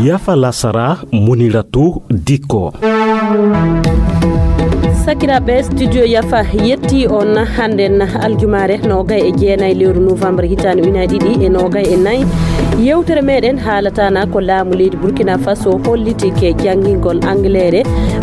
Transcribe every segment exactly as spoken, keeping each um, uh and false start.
Yafa Lasara Muniratu Diko. Sakiraɓe studio Yafa yetti on handen aljumare nogay e jeenay lewru novembre hitande ujunaje ɗiɗi e nogay e nayyi yewtere meɗen haalatana ko laamu leydi Burkina Faso holliti ke jangingol anglere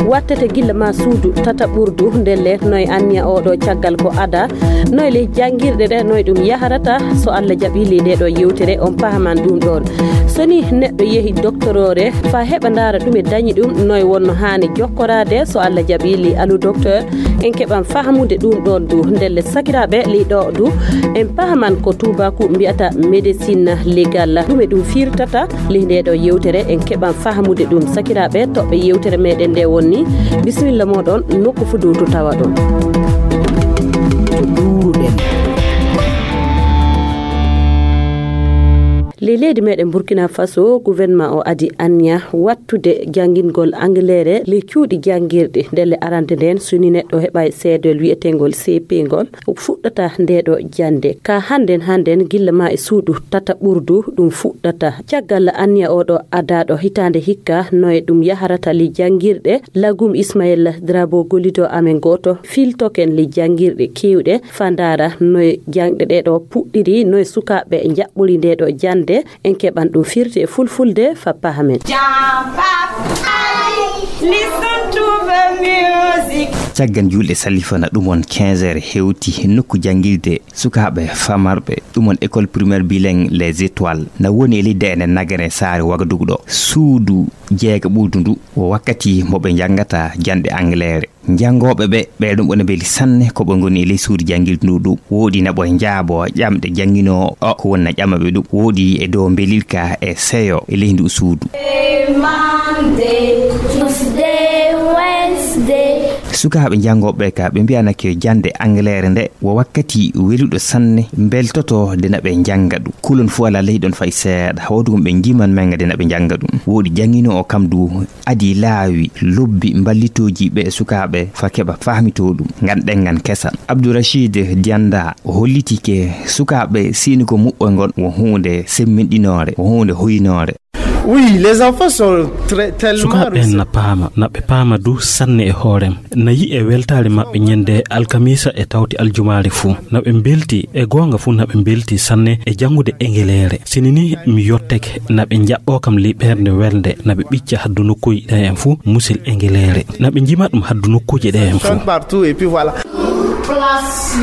wattete gilla ma suudu tata ɓurdu ndelle noy anniya oɗo caggal ko ada noy le jangirɗe ɗe noy ɗum yaharata so Allah jaɓili nde ɗo yewtere on pahaman ɗum ɗon soni neɗɗo yeehi doctorore fa heɓa ndara ɗum e dañi ɗum noy wonno hani jokkorade so Allah jaɓili alu docteur en keɓan fahamude ɗum ɗon du ndelle sakiraɓe liɗo du en pahaman ko tubaku mbiyata médecine légale ɗum e ɗum firtata li ndeɗo yewtere en keɓan fahamude ɗum sakiraɓe toɓɓe yewtere meɗen nde wonni bisimilla moɗon nokku fu dow to tawa ɗon to ɗuruɗen le leydi meɗen Burkina Faso gouvernement o adi anniya wattude jangingol anglere le cuuɗi jangirɗe ndelle arande nden soni neɗɗo heɓa seedol wi'etengol C P ngol fuɗɗata ndeɗo jande ka handen handen gilla ma e suudu tata ɓurdu ɗum fuɗɗata caggal anniya oɗo adaɗo hitande hikka noye ɗum yaharata li jangirɗe lagum Ismaïla Drabo Golido amen goto filtoken li jangirɗe kewɗe fandara noye jangɗe ɗeɗo puɗɗiri noye sukaɓe jaɓɓuri ndeɗo jande en keɓan ɗum firti e fulfulde fa pahamen. caggan julɗe salifana ɗumon quinze heures hewti nokku jangirde sukaɓe famarɓe ɗumon école primaire bilingue les étoiles na woni e lidde ene nagare saare Wagadugu ɗo suudu jeega ɓuldu ndu o wakkati moɓe jangata jande anglere jangoɓe ɓe ɓe ɗum ɓone beeli sanne koɓe goni e ley suudu jangirde ndu ɗum woodi naɓo jaabo ƴamɗe jangino o ko wonna ƴamaɓe ɗum woodi e dow belirka e seyo e ley ndu suudu sukaɓe jangoɓe ka ɓe mbiyanake jande anglere nde wo wakkati weluɗo sanne beltoto de naɓe janga ɗum kulon fu ala ley ɗon fay seeɗa hawdugum ɓe jiman menga de naɓe janga ɗum woodi jangino o kam du adi laawi lobbi ballitoji ɓe sukaɓe fa keɓa famito ɗum ngan ɗengan kesa Abdourachid Dianda o holliti ke sukaɓe sini ko muɓɓoy ngon wo hunde semminɗinore wo hunde hoynore. Oui, les enfants sont très tellement sukaɓe na paama naɓe paama du sanne e hoorem nayi e weltare maɓɓe ñande alkamisa e tawti aljumare fuu naɓe belti e gonga fuu naɓe belti sanne e jangude engelere sinini mi yotteke naɓe jaɓɓo kam liɓerde welde naɓe ɓicca haddu nokkuji ɗe en fuu musil engelere naɓe jima ɗum haddu nokkuji ɗe en fuu partout et puis voilà. Place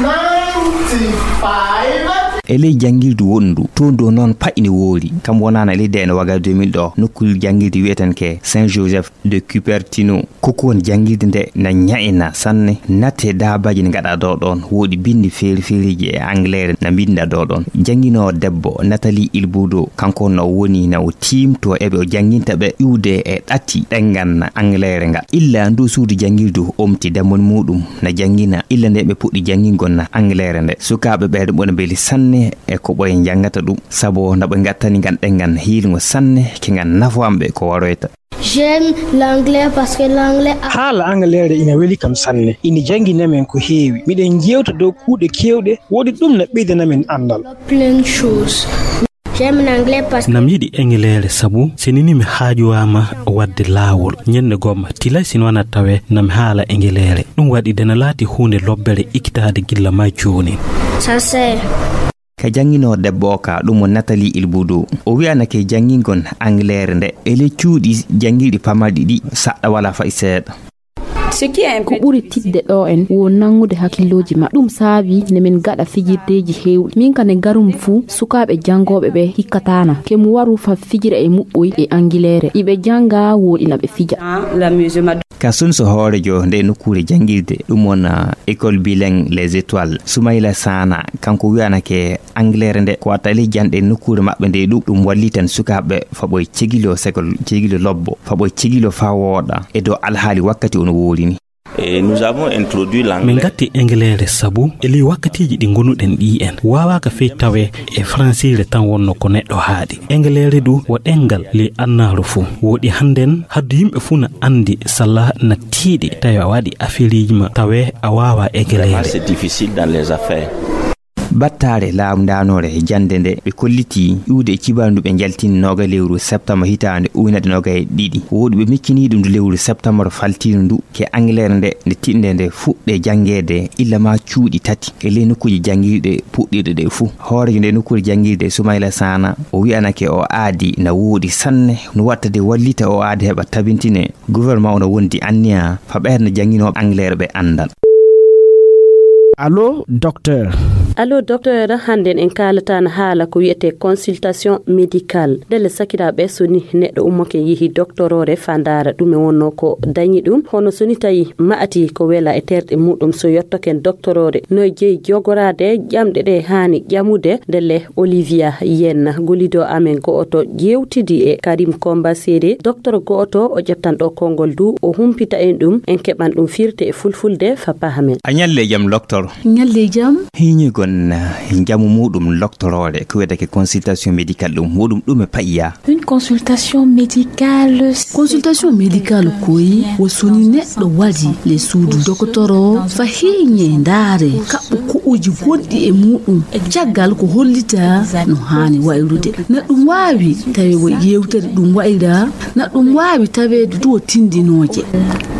ninety-five e ley jangirdu wondu to do non paƴni woori kam wonana leyde ene waga deux mille ɗo nokkul jangirde wiyeten ke Saint Joseph de Cupertino koko won jangirde nde na ñaina sanne natte dabaji ne gada do ɗon woodi bindi feeri feeriji e anglais na binda do ɗon jangino debbo Nathalie Ilbudo kanko no woni na o timto ebe o janginta be iwde e ɗatti ɗengan anglais ngal illa ndu suudu jangirdu omti damon mudum na jangina illa nde be puɗɗi jangingol na anglais nde sukaɓe ɓe ɗum beli sanne e ko ɓoye jangata ɗum sabo na ɓe gattani gan ɗengan hiilgo sanne ke gan nafo amɓe ko waroyta. J'aime l'anglais parce que l'anglais haala anglais ina weli kam sanne ina jangina men ko heewi miɗen jewta dow kuuɗe kewɗe wodi ɗum na ɓeydana men andal plein de choses. J'aime l'anglais parce que nam yiɗi englere sabu sinini mi haajuwama wadde laawol ñande gomma tila sin wana tawe nam haala englere ɗum waɗi dena laati hunde lobbere ikkitade gilla ma joni ça c'est ka jangino debbo ka ɗum Nathalie Ilbudo o wi'anake jangingon anglere nde ele cuuɗi jangiɗi pamarɗi ɗi saɗɗa wala fay seeɗa ko ɓuri tidde ɗo en wo nangude hakkiloji ma ɗum saabi ne min gaɗa fijirdeji hewɗi min kane garum fuu sukaɓe jangoɓe ɓe hikkatana kemu waru fa fijira e muɓɓoy e angilere iɓe janga woɗina ɓe fija ka sunso hoorejo nde nokkure jangirde ɗum wona école bilingue les étoiles Soumaïla Sana kanko wi'anake anglere nde ko watta ley janɗe nokkure maɓɓe nde ɗum ɗum walli tan sukaɓe faɓoye cegilo segol cegilo lobbo faɓoye cegilo fa wooɗa e dow alhaali wakkati ono woolini Et nous avons introduit l'anglais. Min gatti englere sabu eli wakkatiji ɗi gonuɗen ɗi en wawaka fey tawe e francire tan wonno ko neɗɗo haadi. Englere du wo ɗengal li annaru fu woɗi handen haddu yimɓe fu na andi salla na tiiɗi tawi a waɗi affairiji ma tawe a wawa englere. C'est difficile dans les affaires. battare laamdanore jande nde ɓe kolliti iwde e cibandu ɓe jaltini noga lewru septembre hitande uynade noga e ɗiɗi woodi ɓe miccini ɗum ndu lewru septembre faltino ndu ke anglais nde nde tinde nde fuɗɗe jangede illa ma cuuɗi tati e ley nokkuji jangirɗe puɗɗirɗe ɗe fuu hoorejo nde nokkuji jangirɗe Soumaïla Sana o wi'anake o aadi na woodi sanne no watta de wallita o aadi heɓa tabintine gouvernement ono wondi anniya fa ɓerde janginoɓe anglais ɓe andal. Allô, docteur. Allô, docteur, handen en kalatana haala ko wi'ete consultation médicale. Dele sakiraɓe soni neɗɗo ummake yihi doctorore fandara ɗum e wonno ko dañi ɗum hono soni tawi ma'ati ko wela e terɗe muɗum so yettoken doctorore noy jeeyi jogorade ƴamɗe ɗe hani ƴamude dele Olivia Yenna golido amen go'oto jewtidi e Karim Komba Sede docteur go'oto o ƴeftan ɗo kongol du o humpita en ɗum en keɓan ɗum firte e fulfulde fa pahamen. A nyalle jam docteur. Nyalle jam. Hiñigon jamu muɗum doctorore ko wiyete consultation médicale ɗum muɗum ɗum e pa'iya. Une consultation médicale. Consultation médicale koyi wo soni neɗɗo waɗi le suudu doctoro fa hiñe ndaare kaɓɓo ku'uji gonɗi e muɗum caggal ko hollita no hani wayrude na ɗum wawi tawi wo yewtere ɗum wayra na ɗum wawi tawede du tindinoje.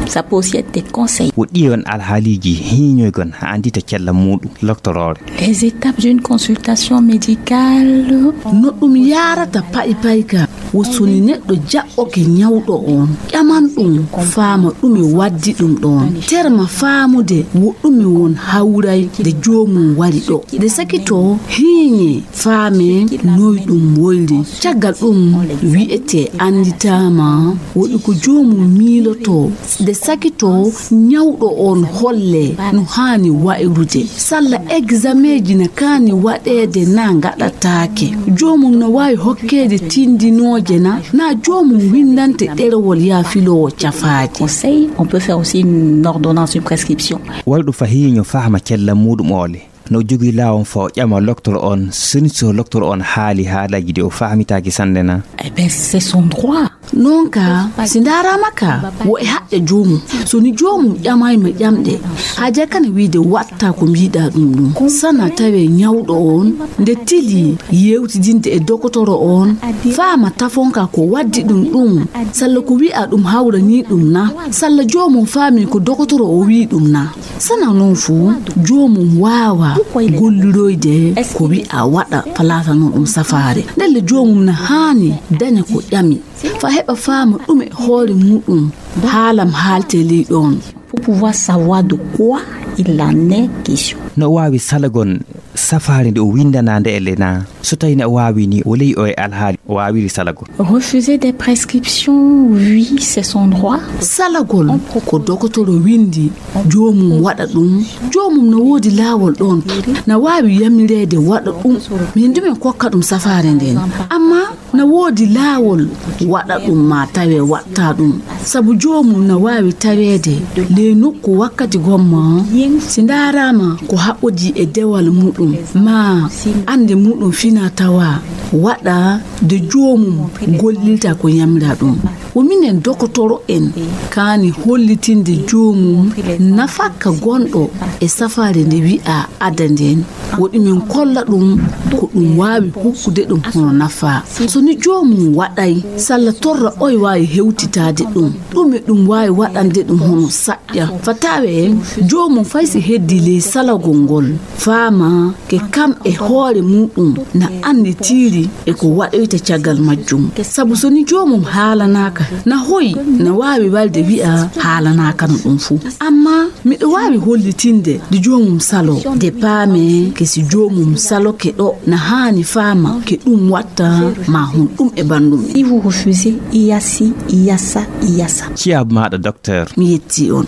Ça peut aussi être des conseils. Wo ɗiyon alhaaliji hiñoygon ha andita cella muɗum doctorore. Les étapes d'une consultation médicale no ɗum yarata pa'i pa'ika wo soni neɗɗo jaɓɓoke nyawɗo on ƴaman ɗum faama ɗum e waddi ɗum ɗon terma faamude wo ɗum e won hawray de joomum wari ɗo de sakito hiñe faame noy ɗum woyri caggal ɗum wi'ete anditama woɗi ko joomum miiloto de sakito nyawɗo on holle no hani wayrude salla examen ji na kani waɗede na gaɗatake joomum no wawi hokkede tindinoje na na joomum windante ɗerewol ya filowo cafaji. Conseil, on peut faire aussi une ordonnance, une prescription. Walɗo fahiño fahma cella muɗum ole no jogi lawon fa o ƴama docteur on soni so docteur on haali haalaji de o fahmitaki sande na. Eh ben c'est son droit. Nonka sindarama ka wo e haɗɗe joomum soni joomum ƴamayma ƴamɗe haja kana wiide watta ko mbiɗa ɗum ɗum sana tawe nyawɗo on nde tili yewtidinde e docteur on faama tafonka ko waddi ɗum ɗum salla ko wi'a ɗum hawrani ɗum na salla joomum faami ko docteur o wi ɗum na sana non fu joomum wawa golliroyde ko wi'a waɗa palata non ɗum safare ndelle joomum na hani daña ko ƴami fa heɓa faama ɗum e hoore muɗum haalam haalte ley ɗon. Pour pouvoir savoir de quoi il en est question. No wawi salagon safari nde o windanande e lena so tawi ne wawi ni o ley o e alhaali o wawiri salago. Refuser des prescriptions, oui, c'est son droit. Salagol ko docteur windi joomum waɗa ɗum joomum no woodi laawol ɗon na wawi yamirede waɗa ɗum min dumen kokka ɗum safari nden amma na woodi laawol waɗa ɗum ma tawe watta ɗum sabu joomum na wawi tawede le nokku wakkati gomma si ndarama ko haɓɓodi e dewal muɗum ma ande muɗum fina tawa waɗa de joomum gollilta ko yamira ɗum o minen docteur en kani hollitinde joomum nafakka gonɗo e safare nde wi'a ada nden woɗi min kolla ɗum ko ɗum wawi hokkude ɗum hono nafa so ni joomum waɗay salla torra oy wawi hewtitade ɗum ɗum e ɗum wawi waɗande ɗum hono saƴƴa fatawe joomum faysi heddi le salagol ngol faama ke kam e hoore muɗum na andi tiri e ko waɗoyta caggal majjum sabu so ni joomum haalanaka na hoyi na wawi walde wi'a haalanaka no ɗum fu amma miɗo wawi hollitinde de joomum salo de paame ke si joomum salo ke ɗo na hani faama ke ɗum watta ma hun ɗum e bandum. Si vous refusez, il y a ci, il y a ça, il y a ça. Ciab maɗa docteur. Mi yetti on.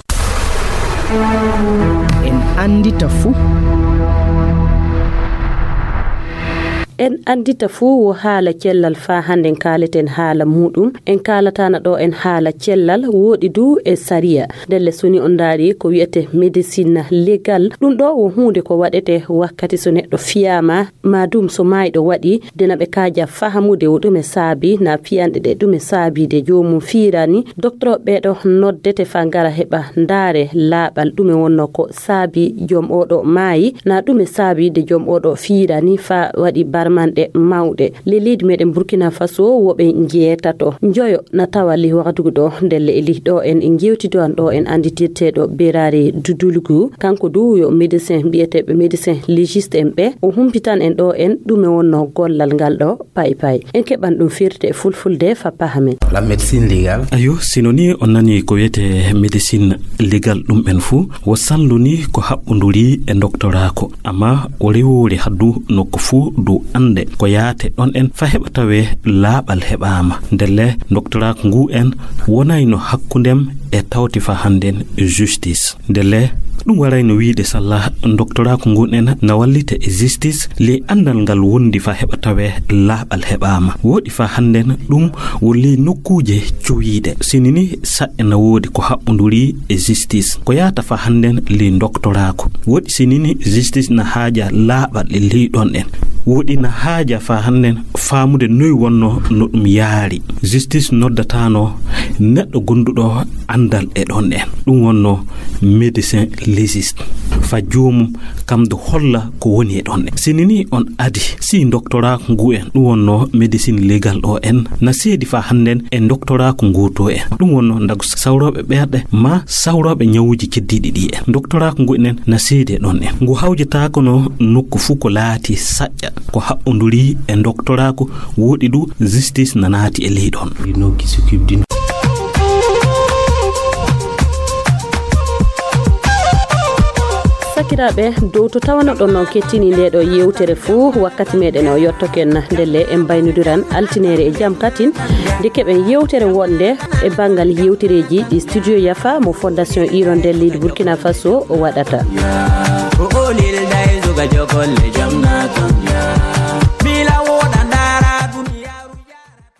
En andita fu en andita fuu wo haala cellal fa handen kaleten haala muɗum en kalatana ɗo en haala cellal woɗi du e saria delle soni on daari ko wiyete médecine légal ɗum ɗo wo hunde ko waɗete wakkati so neɗɗo fiyama madum so mayɗo waɗi dena ɓe kaja fahamude wo ɗum e saabi na fiyanɗe ɗe ɗum e saabide jomum fiirani docteur ɓeɗo noddete fa ngara heɓa ndaare laaɓal ɗum e wonno ko saabi joom oɗo maayi na ɗum e saabide joom oɗo fiirani fa waɗi barmanɗe mawɗe lelidi meɗen Burkina Faso woɓe jeetato joyo na tawali waktugo ɗo ndelle e liɗɗo en e jewtido an ɗo en anditirteɗo Berari Dudulgu kanko du yo médecin mbiyeteɓe médecin légiste en ɓe o humpitan en ɗo en ɗum e wonno gollal ngal ɗo pay pay en keɓan ɗum firte e fulfulde fa pahamen la médecine légale ayo sinoni on nani ko wiyete médecine légal ɗum ɓen fuu wo salluni ko haɓɓoduri e doctorako amma o rewori haddu nokko fuu dow ande ko yaate ɗon en fa heɓa tawe laaɓal heɓama ndelle doctorako ngu en wonayno hakkundem e tawti fa handen justice ndelle ɗum warayno wiide salla doctorako ngun en na wallita e justice le andal ngal wondi fa heɓa tawe laaɓal heɓama woɗi fa handen ɗum wolli nokkuje cowiɗe sinini saɗe na woodi ko haɓɓoduri e justice ko yata fa handen le doctorako woɗi sinini justice na haaja laaɓal e liɗon en woɗi na haaja fa handen faamude noyi wonno no ɗum yaari justice noddatano neɗɗo gonduɗo andal e ɗon en ɗum wonno médecin légiste fa joomum kam do holla ko woni e ɗon en sinini on adi si doctorako ngu en ɗum wonno médecine légal ɗo en na seedi fa handen e doctorako ngu to en ɗum wonno ndago sawroɓe ɓerɗe ma sawroɓe nyawuji keddiɗi ɗi en doctorako ngu en na seedi e ɗon en ngu hawjatako no nokku fu ko laati saƴƴa ko haɓɓoduri e doctorako woɗi du justice na naati e leyɗon sakiraɓe dow to tawano ɗon noon kettini nde ɗo yewtere fuu wakkati meɗen o yettoken ndelle en baynodiran altinere e jaam tatin nde keɓen yewtere wonde e banggal yewtereji ɗi studio Yafa mo fondation Hirondelle leydi Burkina Faso o waɗata